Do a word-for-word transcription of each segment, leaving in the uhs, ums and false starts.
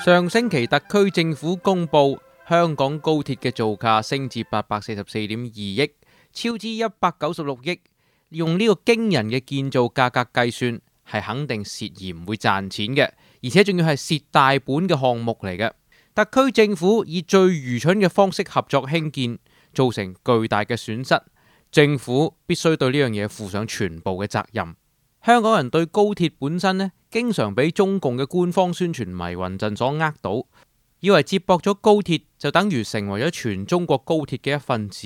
上星期特區政府公布香港高鐵嘅造價升至八百四十四點二億，超支一百九十六億。用呢個驚人嘅建造價格計算，係肯定蝕而唔會賺錢嘅，而且仲要係蝕大本嘅項目嚟嘅。特區政府以最愚蠢嘅方式合作興建，造成巨大嘅損失。政府必須對呢樣嘢負上全部嘅責任。香港人對高鐵本身呢，經常俾中共嘅官方宣傳迷魂陣所呃到，以為接駁咗高鐵就等於成為咗全中國高鐵嘅一份子。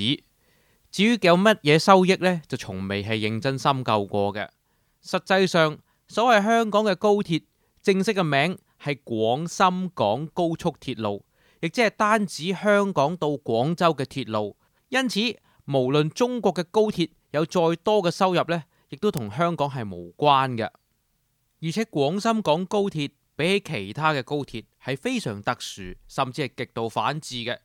至於有乜嘢收益呢，就從未係認真深究過嘅。實際上，所謂香港嘅高鐵正式嘅名係廣深港高速鐵路，亦即係單指香港到廣州嘅鐵路。因此，無論中國嘅高鐵有再多嘅收入呢，亦都同香港係無關嘅。而且廣深港高鐵比起其他嘅高鐵係非常特殊，甚至係極度反智嘅。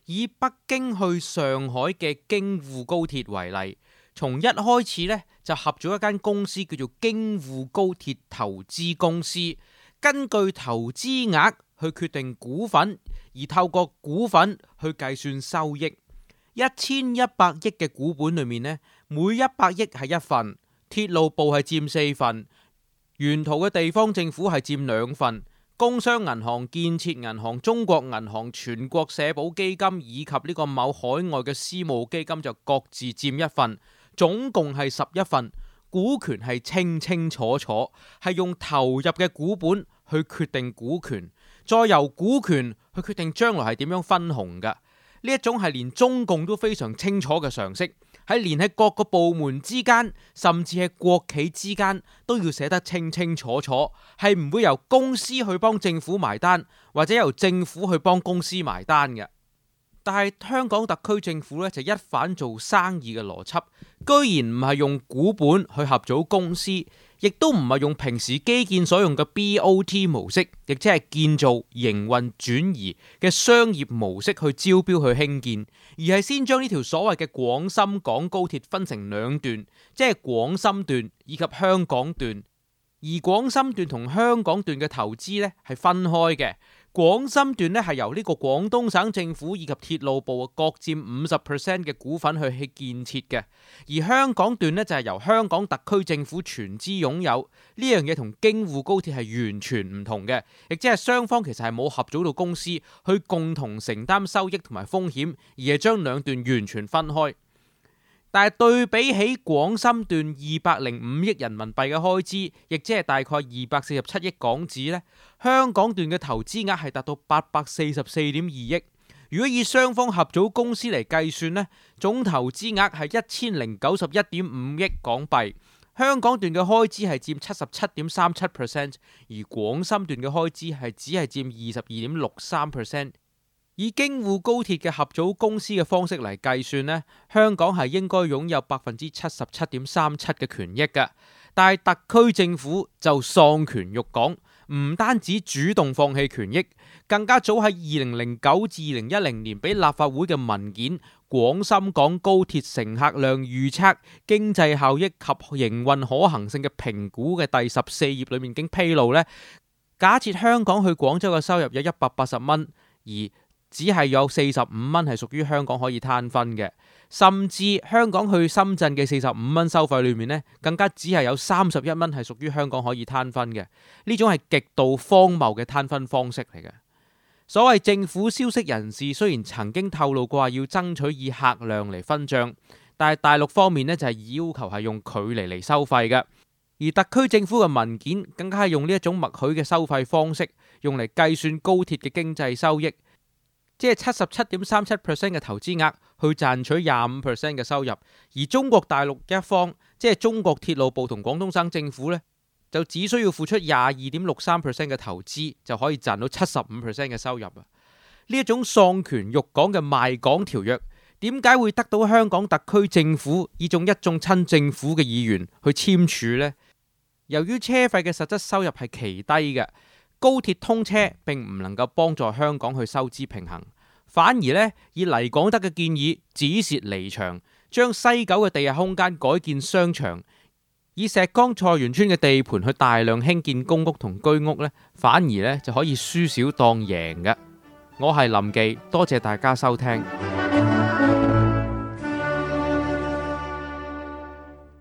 以北京去上海嘅京滬高鐵為例，從一開始呢，就合咗一間公司叫做京滬高鐵投資公司，根據投資額去決定股份，而透過股份去計算收益。一千一百億嘅股本裏面呢，每一百億係一份，鐵路部係佔四份，沿途嘅地方政府係佔兩份，工商銀行、建設銀行、中國銀行、全國社保基金以及呢個某海外嘅私募基金就各自佔一份，總共係十一份。股權係清清楚楚，係用投入嘅股本去決定股權，再由股權去決定將來係點樣分紅㗎。呢一種係連中共都非常清楚嘅常識，係連喺各個部門之間，甚至係國企之間都要寫得清清楚楚，係唔會由公司去幫政府埋單，或者由政府去幫公司埋單嘅。但係香港特區政府咧就一反做生意嘅邏輯，居然唔係用股本去合組公司，亦都唔係用平時基建所用嘅 B O T 模式，亦即係建造、營運、轉移嘅商業模式去招標去興建，而係先將呢條所謂嘅廣深港高鐵分成兩段，即係廣深段以及香港段。而廣深段同香港段嘅投資呢係分開嘅。廣深段呢係由呢個廣東省政府以及鐵路部各佔五十 percent 嘅股份去去建設嘅，而香港段呢就係由香港特區政府全資擁有。呢樣嘢同京滬高鐵係完全唔同嘅，亦即係雙方其實係冇合組到公司去共同承擔收益同埋風險，而係將兩段完全分開。但係對比起廣深段二百零五億人民幣嘅開支，亦即係大概二百四十七億港紙呢，香港段嘅投資額係達到八百四十四點二億。如果以雙方合組公司嚟計算呢，總投資額係一千零九十一點五億港幣。香港段嘅開支係佔七十七點三七 percent， 而廣深段嘅開支係只係佔二十二點六三 percent。以京滬高鐵嘅合組公司嘅方式嚟計算呢，香港係應該擁有百分之七十七點三七嘅權益嘅，但係特區政府就喪權辱港，唔單止主動放棄權益，更加早喺二零零九至二零一零年俾立法會嘅文件《廣深港高鐵乘客量預測、經濟效益及營運可行性嘅評估》嘅第十四頁裏面已經披露呢，假設香港去廣州嘅收入有一百八十蚊，而只係有四十五蚊係屬於香港可以攤分嘅，甚至香港去深圳嘅四十五蚊收費裏面呢，更加只係有三十一蚊係屬於香港可以攤分嘅。呢種係極度荒謬嘅攤分方式嚟嘅。所謂政府消息人士雖然曾經透露過要爭取以客量嚟分賬，但係大陸方面呢就係要求係用距離嚟收費嘅，而特區政府嘅文件更加係用呢一種默許嘅收費方式，用嚟計算高鐵嘅經濟收益。即係七十七點三七 percent 嘅投資額去賺取廿五 percent 嘅收入，而中國大陸一方，即係中國鐵路部同廣東省政府呢，就只需要付出廿二點六三 percent 嘅投資，就可以賺到七十五 percent 嘅收入啊！呢一種喪權辱港嘅賣港條約，點解會得到香港特區政府以眾一眾親政府嘅議員去簽署呢？由於車費嘅實質收入係奇低嘅。高鐵通車並唔能夠幫助香港去收支平衡，反而呢，以黎廣德嘅建議止蝕離場，將西九嘅地下空間改建商場，以石崗菜園村嘅地盤去大量興建公屋同居屋呢，反而呢就可以輸少當贏嘅。我係林記，多謝大家收聽。